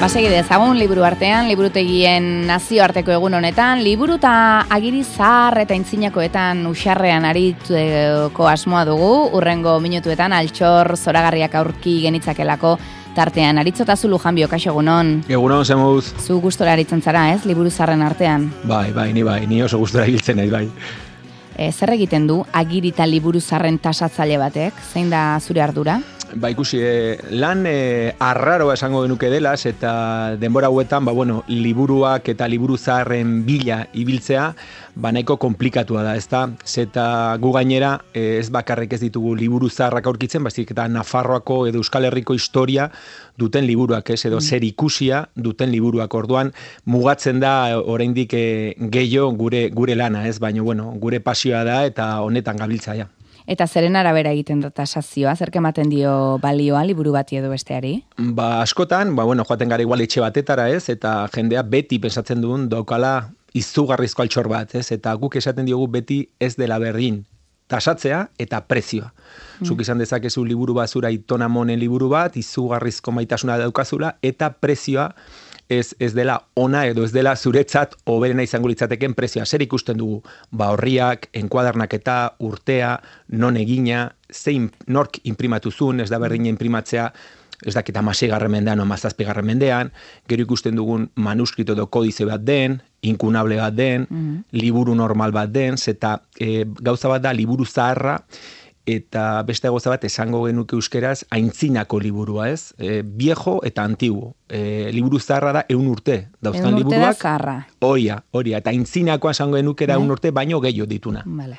Segi dezagun liburu artean, liburutegien nazioarteko egun honetan, liburu eta agiri zahar eta intzinakoetan usarrean aritzeko asmoa dugu, urrengo minutuetan altxor zoragarriak aurki genitzakelako tartean. Aritzotazu Lujanbio, kaixo egunon. Egunon, zemuz. Zu gustora aritzen zara, ez, liburu zaharren artean? Bai, ni oso gustora hiltzen nahi, bai. Zer egiten du agiri eta liburu zaharren tasatzaile batek? Zein da zure ardura? Ba, ikusi, lan arraroa esango genuke delaz, eta denbora hauetan, liburuak eta liburu zaharren bila ibiltzea, nahiko komplikatua da, ezta? Zeta gu gainera, ez bakarrik ez ditugu liburu zaharrak aurkitzen, baizik eta Nafarroako edo Euskal Herriko historia duten liburuak, ez, edo zer ikusia duten liburuak. Orduan, mugatzen da oraindik gehiago gure lana, ez? Baina, gure pasioa da eta honetan gabiltza, ja. Eta zeren arabera egiten da tasazioa, zerk ematen dio balioa liburu bati edo besteari? Askotan, joaten gara igual etxe batetara, ez, eta jendea beti pensatzen duen daukala izugarrizko altxor bat, ez, eta guk esaten diogu beti ez dela berdin tasatzea eta prezioa. Zuk izan dezakezu liburu basura Aitona Monen liburu bat, izugarrizko maitasuna daukazula, eta prezioa ez dela ona edo ez dela zuretzat hoberena izango litzateken prezioa. Zer ikusten dugu? Horriak, enkuadernaketa, urtea, non egina, zein nork imprimatu zuen, ez da berdina imprimatzea, ez dakit 16. mendean o 17. mendean, gero ikusten dugun manuskrito edo kodize bat den, inkunable bat den, liburu normal bat den, eta gauza bat da liburu zaharra, eta beste gauza bat esango genuke euskeraz aintzinako liburua, ez? Viejo eta antiguo. Liburu zaharra da 100 urte. Dauzkan liburuak. 100 urte da zaharra. Horia. Eta aintzinakoa esango genuke da 100 urte baino gehiago dituna. Vale.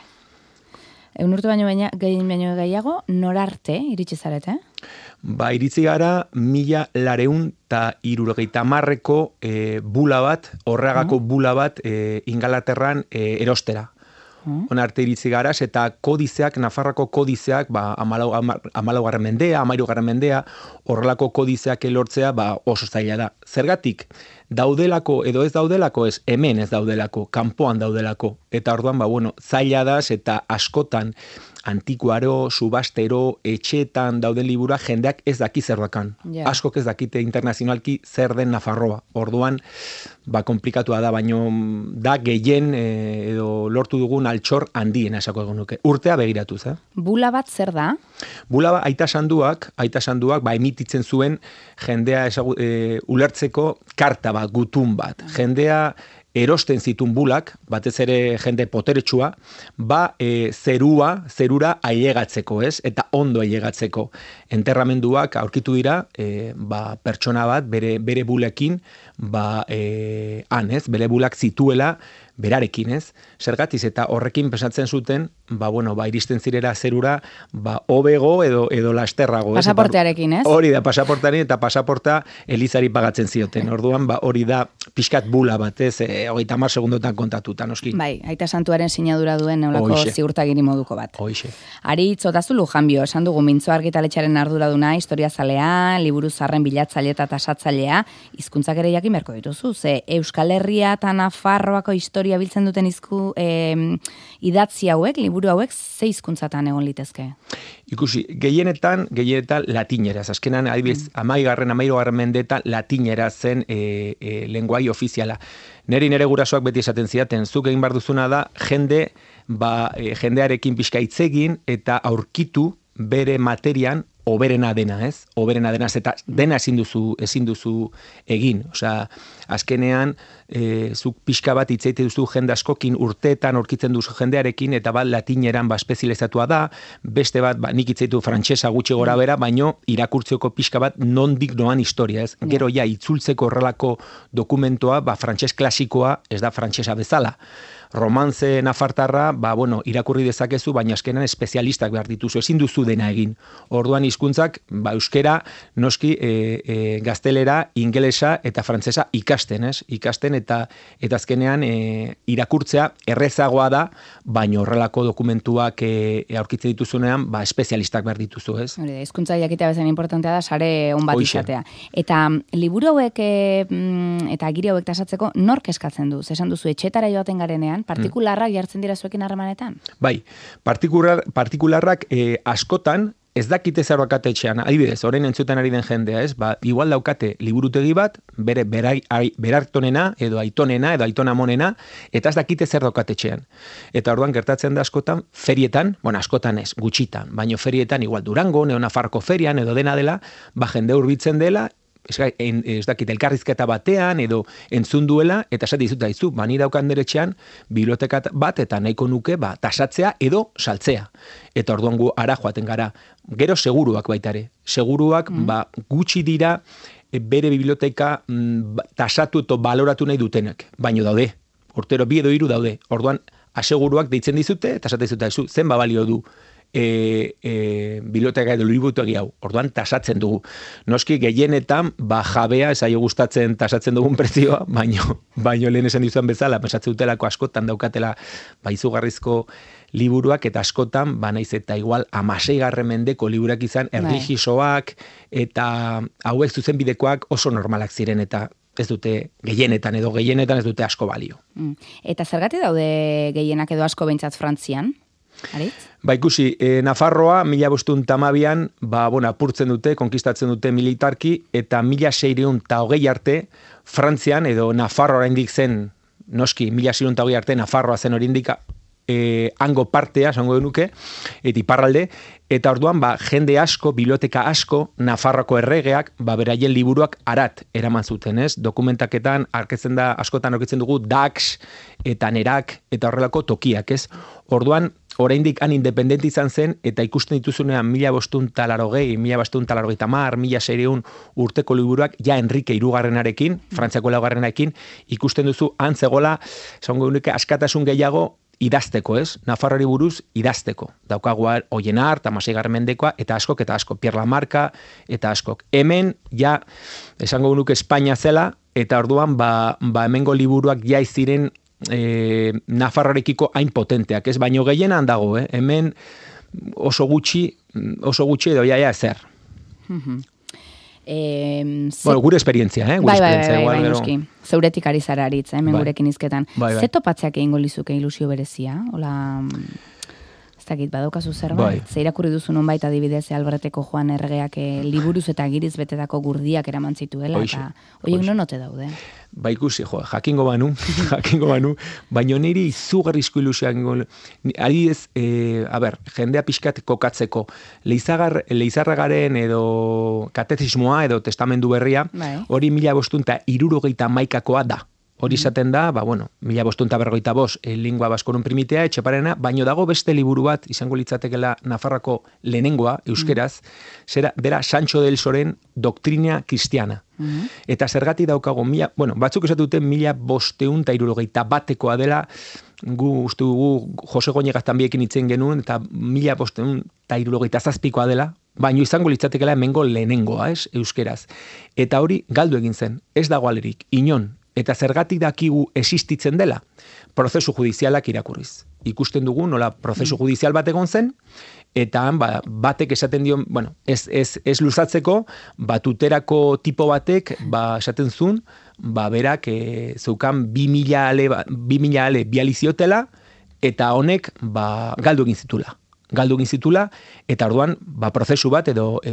100 urte baino gehiago, norarte iritsi zarete? Iritsi gara 1970ko bula bat, Horreagako bula bat Ingalaterran erostera. Onarte iritsi garaz, eta kodizeak, Nafarroako kodizeak, 14. mendea, 13. mendea, horrelako kodizeak elortzea, oso zaila da. Zergatik, daudelako edo ez daudelako, ez hemen ez daudelako, kanpoan daudelako. Eta orduan, zaila da, eta askotan, antikuaro, subastero, etxeetan dauden libura, jendeak ez daki zer dakan. Yeah. Askok ez dakite internazionalki zer den Nafarroa. Orduan, komplikatua da, baino da gehien edo lortu dugun altxor handiena esako egon nuke. Urtea begiratuz, Bula bat zer da? Bula bat aita sanduak, emititzen zuen jendea ulertzeko karta bat, gutun bat. Jendea erosten zitun bulak, batez ere jende poteretsua, zerura ailegatzeko, ez? Eta ondo ailegatzeko. Enterramenduak aurkitu dira, pertsona bat bere bulekin, bere bulak zituela berarekin, ez? Zergatiz, eta horrekin pensatzen zuten, iristen zirera zerura, hobego edo lasterrago. Pasaportearekin, ez? Hori da, pasaportearekin, eta pasaporta elizari pagatzen zioten. Orduan, hori da pixkat bula bat, ez? 30 segundotan kontatuta, noski. Bai, aita santuaren sinadura duen neulako ziurtagiri moduko bat. Hoixe. Aritzotazu Lujanbio, esan dugu Mintzo argitaletxearen arduraduna, historiazalea, liburu zaharren bilatzailea eta tasatzailea, hizkuntzak ere jakin beharko dituzu, ze Euskal Herria eta Nafarroako historia biltzen duten idatzi hauek, liburu hauek, ze hizkuntzatan egon litezke? Ikusi, gehienetan latineraz. Azkenan, adibidez, 13. mendeetan latinera zen lenguai ofiziala. Nere gurasoak beti esaten zidaten, zuk egin behar duzuna da, jendearekin pixka hitz egin eta aurkitu bere materian oberena dena, ez? Oberena dena, eta dena ezin duzu egin. Osea, azkenean, zuk pixka bat hitzeite duzu jende askokin urteetan aurkitzen duzu jendearekin, eta latineran espezializatua da, beste bat, nik hitzeitu frantsesa gutxi gora bera, baino irakurtzeko pixka bat nondik noan historia, ez? Gero itzultzeko horrelako dokumentoa, frantses klasikoa, ez da frantsesa bezala. Romantze nafartarra, irakurri dezakezu, baina azkenan espezialistak behar dituzu, ezin duzu dena egin. Orduan hizkuntzak, euskera, noski, gaztelera, ingelesa eta frantsesa ikasten, ez? Ikasten eta azkenean irakurtzea errezagoa da, baina horrelako dokumentuak aurkitzen dituzunean, espezialistak behar dituzu, ez? Hizkuntza jakitea bezain importantea da, sare on bat izatea. Eta liburu hauek eta agiri hauek tasatzeko nork eskatzen du? Esan duzu etxetara joaten garenean, partikularrak jartzen dira zuekin harremanetan? Bai, partikularrak askotan ez dakite zer daukate etxean, adibidez, orain entzuten ari den jendea, ez? Ba, igual daukate liburutegi bat, berartonena, edo aitonamonena, eta ez dakite zer daukate etxean. Eta orduan gertatzen da askotan, ferietan, bueno, askotan ez, gutxitan, baino ferietan, igual Durango, Nafarroko ferian, edo dena dela, ba, jende hurbiltzen dela, ez dakit, elkarrizketa batean, edo entzun duela, eta esate dizut daizu, bani daukan deretxean, biblioteka bat, eta nahiko nuke, ba, tasatzea edo saltzea. Eta orduan gu ara joaten gara. Gero seguruak baitare. Seguruak, ba, gutxi dira, bere biblioteka tasatu eta baloratu nahi dutenak. Baino daude. Urtero 2 edo 3 daude. Orduan, aseguruak deitzen dizute, eta esate dizut daizu, zen balio du biblioteka edo liburutegi hau. Orduan tasatzen dugu. Noski gehienetan ba jabea ez aio gustatzen tasatzen dugun prezioa, baino lehen esan dizuan bezala, pensatzen dutelako askotan daukatela ba izugarrizko liburuak eta askotan ba naiz eta igual 16. mendeko liburuak izan erlijisoak eta hauek zuzenbidekoak oso normalak ziren eta ez dute gehienetan ez dute asko balio. Eta zergatik daude gehienak edo asko behintzat Frantzian? Aritz? Ba ikusi, Nafarroa 1512an, ba, bueno, apurtzen dute, konkistatzen dute militarki, eta 1620 arte, Frantzian, edo Nafarroa oraindik zen, noski, 1620 arte, Nafarroa zen oraindik hango partea, esango genuke, eta iparralde, eta orduan, ba, jende asko, biblioteka asko, Nafarroako erregeak, ba, beraien liburuak arat eraman zuten, ez? Dokumentaketan, askotan aurkitzen dugu, Dax, eta Nerak, eta horrelako tokiak, ez? Orduan, oraindik han independente izan zen, eta ikusten dituzunean 1580, 1580, 1600 urteko liburuak, ja Enrique Hirugarrenarekin, Frantziako laugarrenarekin, ikusten duzu, han zegola, esango genuke, askatasun gehiago, idazteko, ez? Nafarroari buruz idazteko. Daukagu Oienar, eta 16. mendekoa, eta askok, Pierre Lamarca, eta askok. Hemen, ja, esango genuke Espainia zela, eta orduan, ba hemengo liburuak ja iziren Nafarroarekiko hain potenteak, ez? Baino gehienan dago, hemen oso gutxi edo ja ezer. Bueno, gure esperientzia, Bai, noski. Zeuretik ari zara aritz, hemen gurekin izketan. Ze topatzeak egingo lizuke ilusio berezia? Hola, ez dakit, badaukazu zerbait? Ze irakurri duzu nonbait adibidez Alberteko Joan erregeak liburuz eta giriz betetako gurdiak eraman zituela, eta horiek nonote daude? Ba ikusi, jakingo banu, baina niri izugarrizko ilusioak adibidez, jendea pixkat kokatzeko, Leizarragaren edo katezismoa edo testamendu berria, hori 1571koa da. Hori izaten da, 1545 lingua baskorum primitea, etxeparena, baino dago beste liburu bat, izango litzatekela Nafarrako lehenengoa, euskeraz, dera Sancho del Soren Doktrina Kristiana. Eta zergatik daukago, batzuk esatuten 1571koa dela, gu uste dugu Jose Goñegaztan biekin itzen genuen, eta 1577koa dela, baino izango litzatekela hemengo lehenengoa, euskeraz. Eta hori galdu egin zen, ez dago alerik, inon. Eta zergatik dakigu existitzen dela, prozesu judizialak irakurriz. Ikusten dugu, nola prozesu judizial bat egon zen, eta batek esaten dion, ez luzatzeko, tuterako tipo batek, esaten zuen, berak zeukan 2000 ale bializiotela, eta honek galdu egin zitula, eta orduan, prozesu bat edo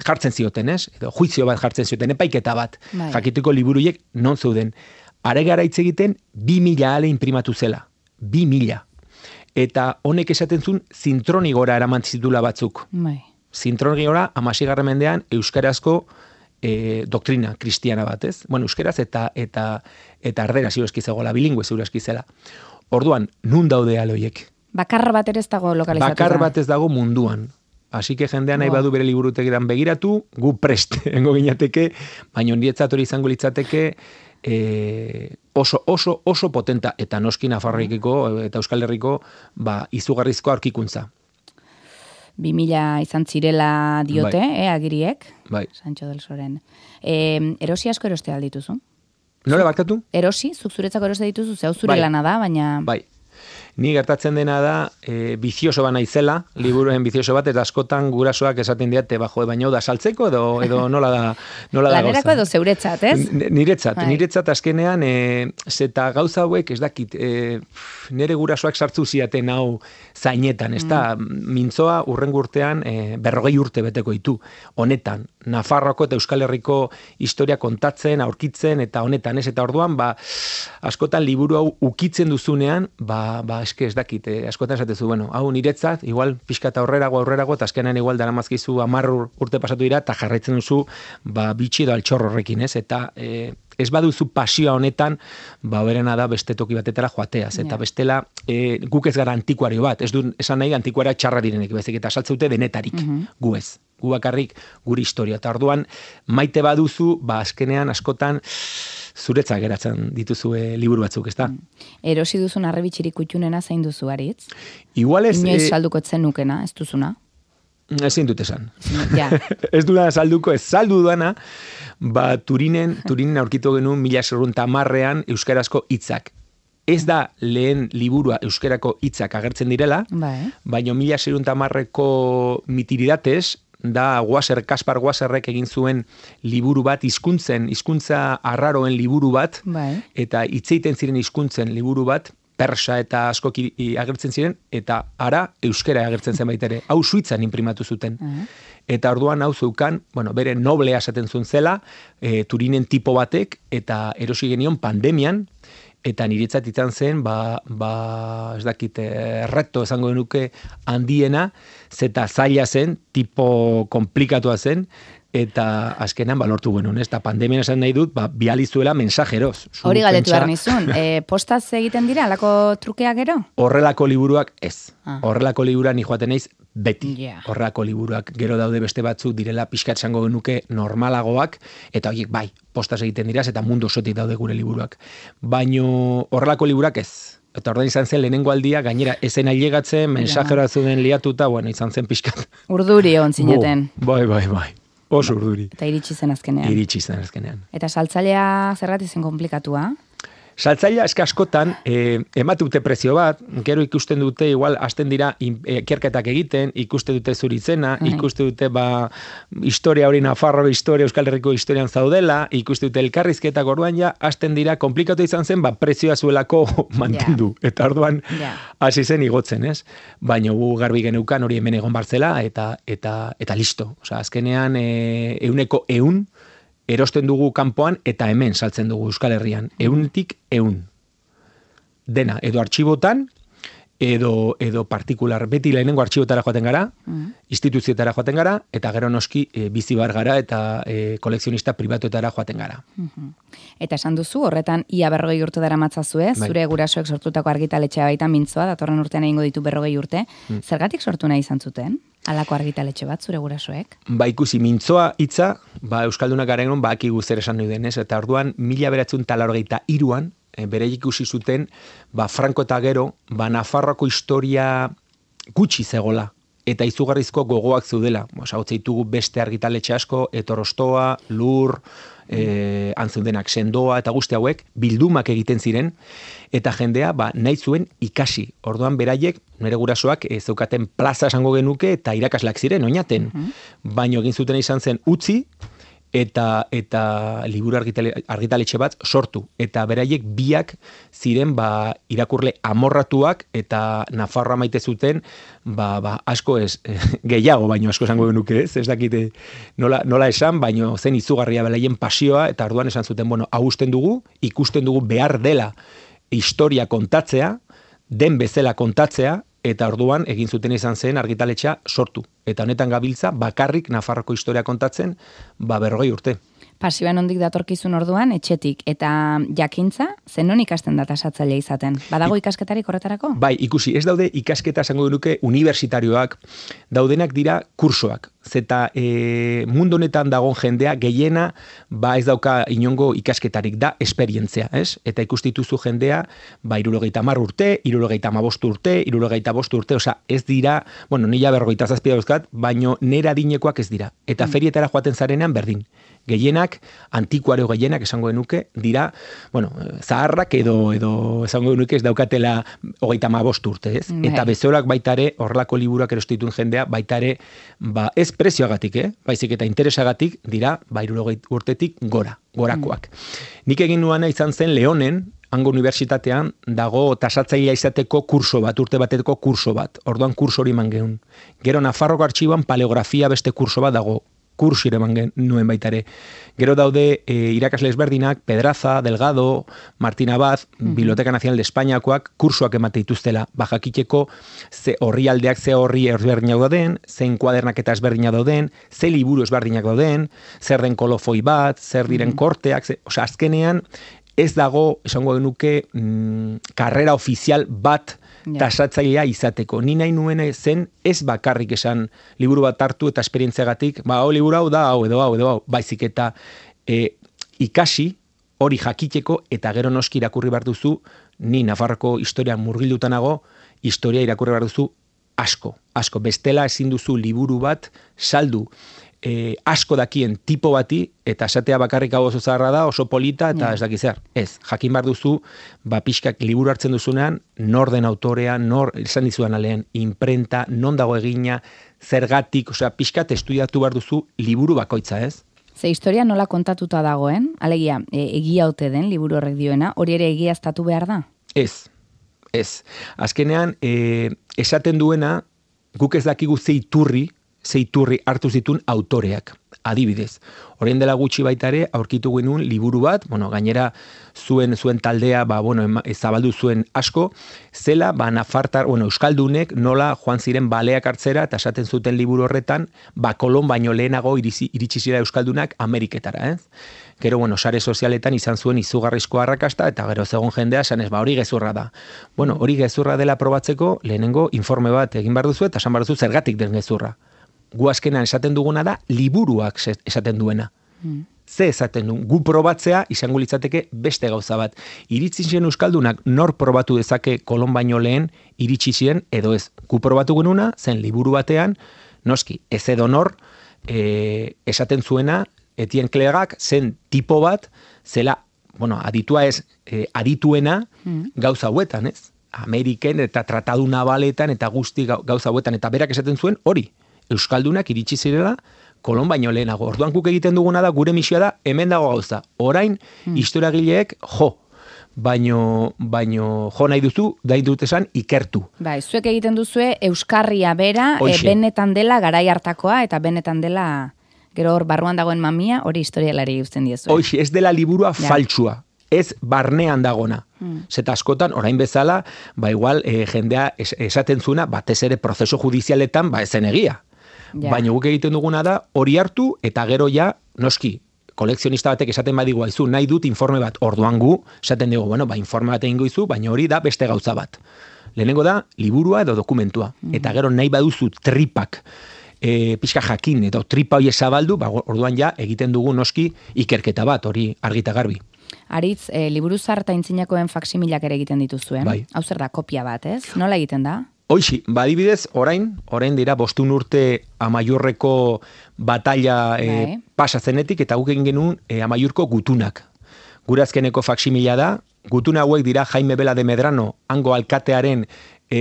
jartzen zioten, ez? Edo juizio bat jartzen zioten, epaiketa bat. Jakiteko liburuiek non zeuden. Are gara hitz egiten 2000 ale imprimatu zela. 2000. Eta honek esaten zuen zintronigora eraman zitula batzuk. Zintronigora 16. mendean euskarazko doktrina kristiana bat, ez? Euskaraz eta erdera ziurezki zegoela, bilingüe ziurezki zela. Orduan, nun daude aloiek? Bakar bat ere ez dago lokalizatuta. Bakar bat ez dago munduan. Así que jendea nahi badu bere liburutegiran begiratu, gu prest engo gineateke, baina ondietzat hori izango litzateke oso potenta, eta noski Nafarroikiko eta Euskal Herriko izugarrizko aurkikuntza. 2000 izan zirela diote, agiriek, Sancho del Soren. Erosi asko eroste aldituzu? Nola barkatu? Erosi, zuk zuretzako eroste dituzu, zeu zure lana da, baina... Bai. Ni gertatzen dena da, bizioso ba naizela, liburuen bizioso bat, eta askotan gurasoak esaten diate, baino da saltzeko, edo nola da Lanerako edo zeuretzat, ez? Niretzat azkenean, zeta gauza hauek, ez dakit, nire gurasoak sartzu ziaten hau zainetan, ez da, mintzoa urrengo urtean 40 urte beteko ditu. Honetan, Nafarroako eta Euskal Herriko historia kontatzen, aurkitzen, eta honetan, ez? Eta orduan, askotan liburu hau ukitzen duzunean, eske ez dakit, askotan esatezu, bueno, hau niretzat, igual pixka eta aurrerago, eta azkenean igual daramazkizu 10 urte pasatu dira, eta jarraitzen duzu, bitxi edo altxor horrekin, ez? Eta ez baduzu pasioa honetan, berena da beste toki batetara joateaz, eta bestela guk ez gara antikuario bat, ez du esan nahi antikuara txarra direnek, bezik eta saltzeute denetarik, gu ez. Gu bakarrik guri historia. Eta orduan, maite baduzu, azkenean askotan zuretzak geratzen dituzu liburu batzuk, ez da? Erosi duzun arrebitxirik kutxunena zein duzu, Aritz? Igual ez... Inoiz salduko etzen nukena, ez duzuna? Ezin dut esan. Ja. Ez dudana salduko, ez saldu dudana, Turinen aurkitu genuen 1910ean euskarazko hitzak. Ez da lehen liburua euskarako hitzak agertzen direla, baina 1910eko mitiridatez, da Kaspar Wasserrek egin zuen liburu bat, hizkuntza arraroen liburu bat, eta hitzeiten ziren hizkuntzen liburu bat, persa eta askoki agertzen ziren, eta ara euskara agertzen zen baita ere. Hau Suitzan inprimatu zuten. Eta orduan hau zeukan, bere noblea esaten zuen zela, Turinen tipo batek, eta erosi genion pandemian, eta niretzat izan zen, ez dakit, reto esango genuke handiena, zeta zaila zen, tipo komplikatua zen, eta azkenan lortu genuen, ez da pandemian esan nahi dut, bializuela mensajeroz. Hori galdetu behar nizun, postaz egiten dira, alako trukeak gero? Horrelako liburuak ez. Horrelako liburuak ni joaten naiz beti. Horrelako liburuak gero daude beste batzuk direla pixkat esango genuke normalagoak, eta horiek postaz egiten dira, eta mundu osotik daude gure liburuak. Baino horrelako liburuak ez. Eta orduan izan zen lehenengo aldia, gainera ezen ailegatzen, mensajera zuen liatuta, izan zen pixkat. Urduri hon zineten. Bai. Oso urduri. Eta iritsi zen azkenean. Eta saltzailea zergatik zen komplikatua? Saltzailea eska askotan, emate dute prezio bat, gero ikusten dute, igual, hasten dira ikerketak egiten, ikuste dute zuritzena, ikuste dute, historia hori Nafarro, historia, Euskal Herriko historian zaudela, ikuste dute elkarrizketak orduan ja, hasten dira, komplikatu izan zen, prezioa zuelako mantendu. Eta orduan, hasi zen igotzen, ez? Baina gu garbi geneukan hori hemen egon bartzela, eta listo. Osa, azkenean, 100% erosten dugu kanpoan eta hemen saltzen dugu Euskal Herrian. 100%. Dena, edo artxibotan, edo partikular. Beti lehenengo artxibotara joaten gara, instituzioetara joaten gara, eta gero noski bizi bar gara eta kolekzionista pribatuetara joaten gara. Eta esan duzu, horretan ia 40 urte dara matzazue, zure gurasoek sortutako argitaletxea baita mintzoa, datorren urtean egingo ditu 40 urte. Zergatik sortu nahi izan zuten? Alako argitaletxe bat, zure gurasoek? Ikusi, mintzoa hitza, Euskaldunak garen hon, akigu zer esan nahi denez, eta orduan, 1983an, bere ikusi zuten, Franco eta gero, Nafarroako historia gutxi zegola, eta izugarrizko gogoak zeudela. Zautzeitugu beste argitaletxe asko, Etorostoa, Lur, antzundenak sendoa, eta guzti hauek, bildumak egiten ziren, eta jendea nahi zuen ikasi. Orduan beraiek, nire gurasoak zeukaten plaza esango genuke, eta irakasleak ziren, oinaten. Baino egin zuten izan zen utzi, eta liburu argitaletxe bat sortu. Eta beraiek biak ziren irakurle amorratuak eta Nafarroa maite zuten asko ez, gehiago baino asko esango genuke ez dakite nola esan, baino zen izugarria beraien pasioa eta orduan esan zuten, hau usten dugu, ikusten dugu behar dela historia kontatzea, den bezala kontatzea, eta orduan egin zuten izan zen argitaletxea sortu. Eta honetan gabiltza bakarrik Nafarroko historia kontatzen 40 urte. Pasioan ondik datorkizun orduan, etxetik, eta jakintza, zenon ikasten da tasatzailea izaten? Badago ikasketarik horretarako? Bai, ikusi, ez daude ikasketa esango genuke universitarioak, daudenak dira kursoak. Zeta mundu honetan dagoen jendea gehiena ez dauka inongo ikasketarik, da esperientzia, ez? Eta ikustituzu jendea 70 urte, 75 urte, 75 urte, osea, ez dira, nila 47 dauzkat, baino nera adinekoak ez dira. Eta ferietara joaten zarenean berdin. Gehienak, antikuaro gehienak esango genuke, dira, bueno, zaharrak edo esango genuke ez daukatela 35 urte, ez? Eta bezorak baitare, horrelako liburuak erostituen jendea, baitare, ez prezioagatik, baizik eta interesagatik, dira, 60 urtetik gorakoak. Nik egin nuana izan zen Leonen, hango unibertsitatean, dago tasatzailea izateko kurso bat, urte bateko kurso bat. Orduan kurso hori eman gehun. Gero Nafarroko artxiboan paleografia beste kurso bat dago. Kurso eman nuen baitare. Gero daude irakasle ezberdinak, Pedraza, Delgado, Martín Abad, Biblioteca Nacional de Espainiakoak, kursoak emate dituztela. Jakiteko ze horri aldeak, ze horri ezberdinak dauden, zein kuadernaketa ezberdinak dauden, ze liburu ezberdinak dauden, zer den kolofoi bat, zer diren korteak, azkenean, ez dago, esango genuke, karrera ofizial bat tasatzailea izateko. Ni nahi nuen zen ez bakarrik esan liburu bat hartu eta esperientziagatik, liburu hau da, hau edo, baizik eta ikasi hori jakiteko eta gero noski irakurri behar duzu, ni Nafarroko historian murgildutanago, historia irakurri behar duzu asko. Bestela ezin duzu liburu bat saldu asko dakien tipo bati, eta esatea bakarrik hau oso zaharra da, oso polita, eta ez dakizar. Ez, jakin behar duzu, pixkak liburu hartzen duzunean, nor den autorea, nor, esan dizudan alean, imprenta, non dago egina, zergatik, pixkat estudiatu behar duzu liburu bakoitza, ez? Ze historia nola kontatuta dagoen, alegia, egia ote den liburu horrek dioena, hori ere egiaztatu behar da? Ez. Azkenean, esaten duena, guk ez dakigu ze iturri hartu zituen autoreak. Adibidez, orain dela gutxi baitare aurkitu genuen liburu bat, gainera zuen taldea, zabaldu zuen asko, zela, nafartar, euskaldunek nola joan ziren baleak hartzera, eta esaten zuten liburu horretan, Kolon baino lehenago iritsi zira euskaldunak Ameriketara, ez? Gero, sare sozialetan izan zuen izugarrizko arrakasta, eta gero zegoen jendea, esan ez, hori gezurra da. Hori gezurra dela probatzeko, lehenengo informe bat egin behar duzu, eta esan behar duzu zergatik den gezurra. Gu azkenan esaten duguna da, liburuak esaten duena. Ze esaten du, gu probatzea izango litzateke beste gauza bat. Iritsi ziren euskaldunak nor probatu dezake Kolon baino lehen iritsi ziren, edo ez. Gu probatu genuna, zen liburu batean, noski, ez edo nor, esaten zuena, Etienne Clerc'ak zen tipo bat, zela, aditua ez, adituena gauza hauetan, ez? Ameriken eta tratadu nabaletan eta guzti gauza hauetan, eta berak esaten zuen hori. Euskaldunak iritsi zirela Kolon baino lehenago. Orduan guk egiten duguna da, gure misioa da, hemen dago gauza. Orain, historiagileek baino jo nahi duzu, dain dut esan, ikertu. Zuek egiten duzue euskarria bera, benetan dela garai hartakoa, eta benetan dela, gero hor barruan dagoen mamia, hori historialari uzten diezu. Hoxe, ez dela liburua faltsua. Ez barnean dagona. Zeta askotan, orain bezala, igual jendea esaten zuna, batez ere prozeso judizialetan, ezen egia. Baina guk egiten duguna da, hori hartu, eta gero ja, noski, kolekzionista batek esaten badigu haizu, nahi dut informe bat, orduan gu, esaten dugu, informe bat egingo izu, baina hori da beste gauza bat. Lehenengo da, liburua edo dokumentua. Eta gero nahi baduzu tripak, pixka jakin, edo tripa hori zabaldu, orduan ja, egiten dugu noski ikerketa bat, hori argita garbi. Aritz, liburu zarta intzinakoen faksimilak ere egiten dituzuen. Hau zer da, kopia bat, ez? Nola egiten da? Hoixi, adibidez, orain dira 5 urte Amaiurreko batalla pasa zenetik, eta guk egin genuen Amaiurko gutunak. Gure azkeneko faksimila da, gutuna hauek dira Jaime Bela de Medrano, hango alkatearen,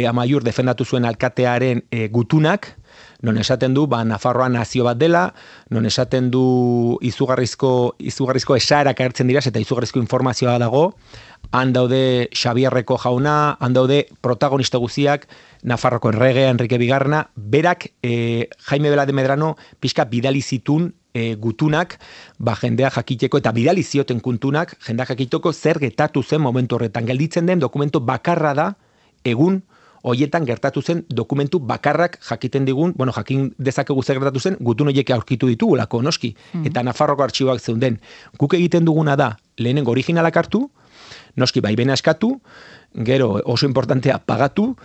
Amaiur defendatu zuen alkatearen gutunak, non esaten du, Nafarroa nazio bat dela, non esaten du izugarrizko esaerak agertzen dira, eta izugarrizko informazioa dago, han daude Xabierreko jauna, han daude protagonista guziak, Nafarroko erregea, Enrique Bigarna, berak Jaime Bela de Medrano pixka bidali zitun gutunak, jendea jakiteko, eta bidali zioten kuntunak, jendea jakiteko zer getatu zen momentu horretan. Gelditzen den dokumento bakarra da, egun, hoietan gertatu zen dokumentu bakarrak jakiten digun, jakin dezakegu zer gertatu zen, gutun horiek aurkitu ditugulako, noski, eta Nafarroko artxiboak zeunden. Guk egiten duguna da, lehenengo originalak hartu, noski baimena eskatu, gero oso importantea pagatu,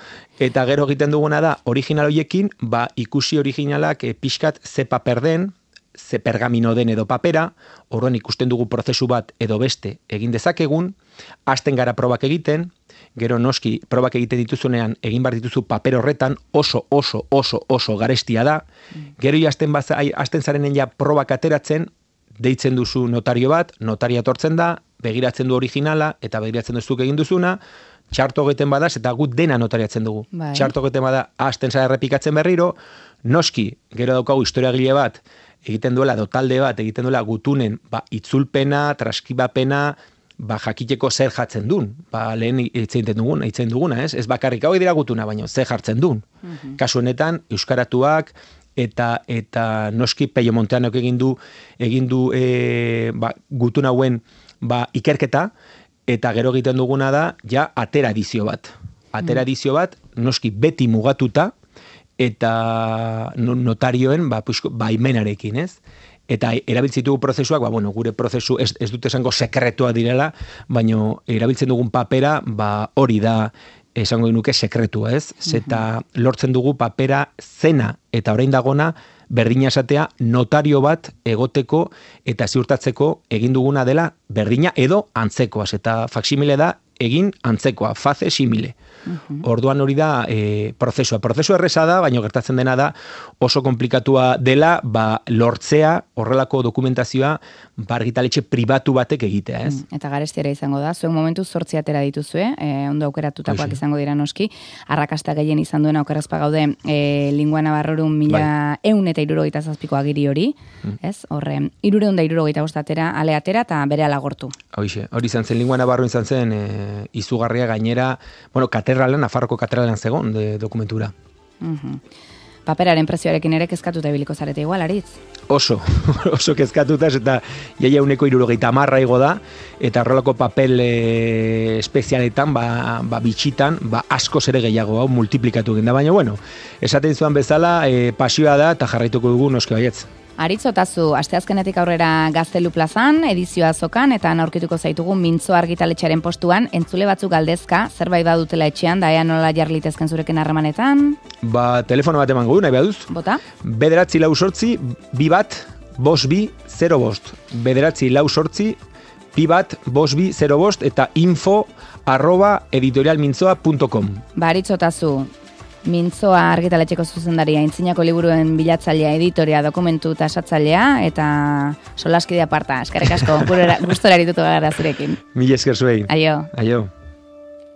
eta gero egiten duguna da, original horiekin, ikusi originalak pixkat ze paper den, ze pergamino den edo papera, orduan ikusten dugu prozesu bat edo beste egin dezakegun, hasten gara probak egiten, gero noski probak egiten dituzunean egin behar dituzu paper horretan oso garestia da, gero hasten zarenen ja probak ateratzen, deitzen duzu notario bat, notaria etortzen da, begiratzen du originala, eta begiratzen duzuk egin duzuna, txarto egiten badaz, eta gut dena notariatzen dugu. Bai. Txarto egiten bada, hasten zara errepikatzen berriro, noski, gero daukagu historiagile bat, egiten duela, talde bat, egiten duela gutunen, itzulpena, traskibapena, jakiteko zer jartzen duen. Lehen eitzen duguna, ez? Ez bakarrik hau dira gutuna, baina zer jartzen duen. Kasu honetan, euskaratuak, eta noski Peio Monteanok egin du gutun hauen ikerketa, eta gero egiten duguna da, ja, atera edizio bat. Atera edizio bat, noski beti mugatuta, eta notarioen baimenarekin, ez? Eta erabiltzen dugu prozesuak, gure prozesu ez dut esango sekretua direla, baina erabiltzen dugun papera, hori da, esango nuke sekretua, ez? Zeta lortzen dugu papera zena, eta orain dagona, berdina esatea notario bat egoteko eta ziurtatzeko egin duguna dela berdina edo antzekoaz. Eta faksimile da egin antzekoa, face simile. Orduan hori da prozesua. Prozesua erresa da, baina gertatzen dena da oso konplikatua dela lortzea horrelako dokumentazioa argitaletxe pribatu batek egitea, ez? Eta garestiera izango da, zuen momentu 8 atera dituzue, ondo aukeratutakoak izango dira noski, arrakasta gehien izan duena okerazpa gaude Lingua Navarrorum 1177ko agiri hori, ez? Horre, 375 atera, ale atera eta bere alagortu. Hori izan zen, Lingua Navarro izan zen izugarria gainera, Nafarroko katedralean zegoen dokumentura. Paperaren prezioarekin ere kezkatuta ibiliko zarete igual, Aritz? Oso kezkatuta, eta jaia 170 igo da, eta horrelako papel espezialetan, bitxitan, askoz ere gehiago, multiplikatu egin da, baina, esaten zuan bezala, pasioa da, eta jarraituko dugu noski baietz. Aritz Otazu, asteazkenetik aurrera Gaztelu plazan, edizioa azokan, eta aurkituko zaitugu Mintzo argitaletxearen postuan, entzule batzuk galdezka, zerbait badutela etxean, daia nola jarlitezken zurekin harremanetan? Telefono bat emango du, nahi baduz? Bota? 948 2 5 948 2 5 eta info@editorialmintzoa.com. Aritz Otazu, Mintzoa argitaletxeko zuzendaria, Aintzinako liburuen bilatzailea, editoria, dokumentu eta esatzailea, eta solaskidea parta. Eskerrik asko, gustora arituko gara zurekin. Mila esker zuei. Aio.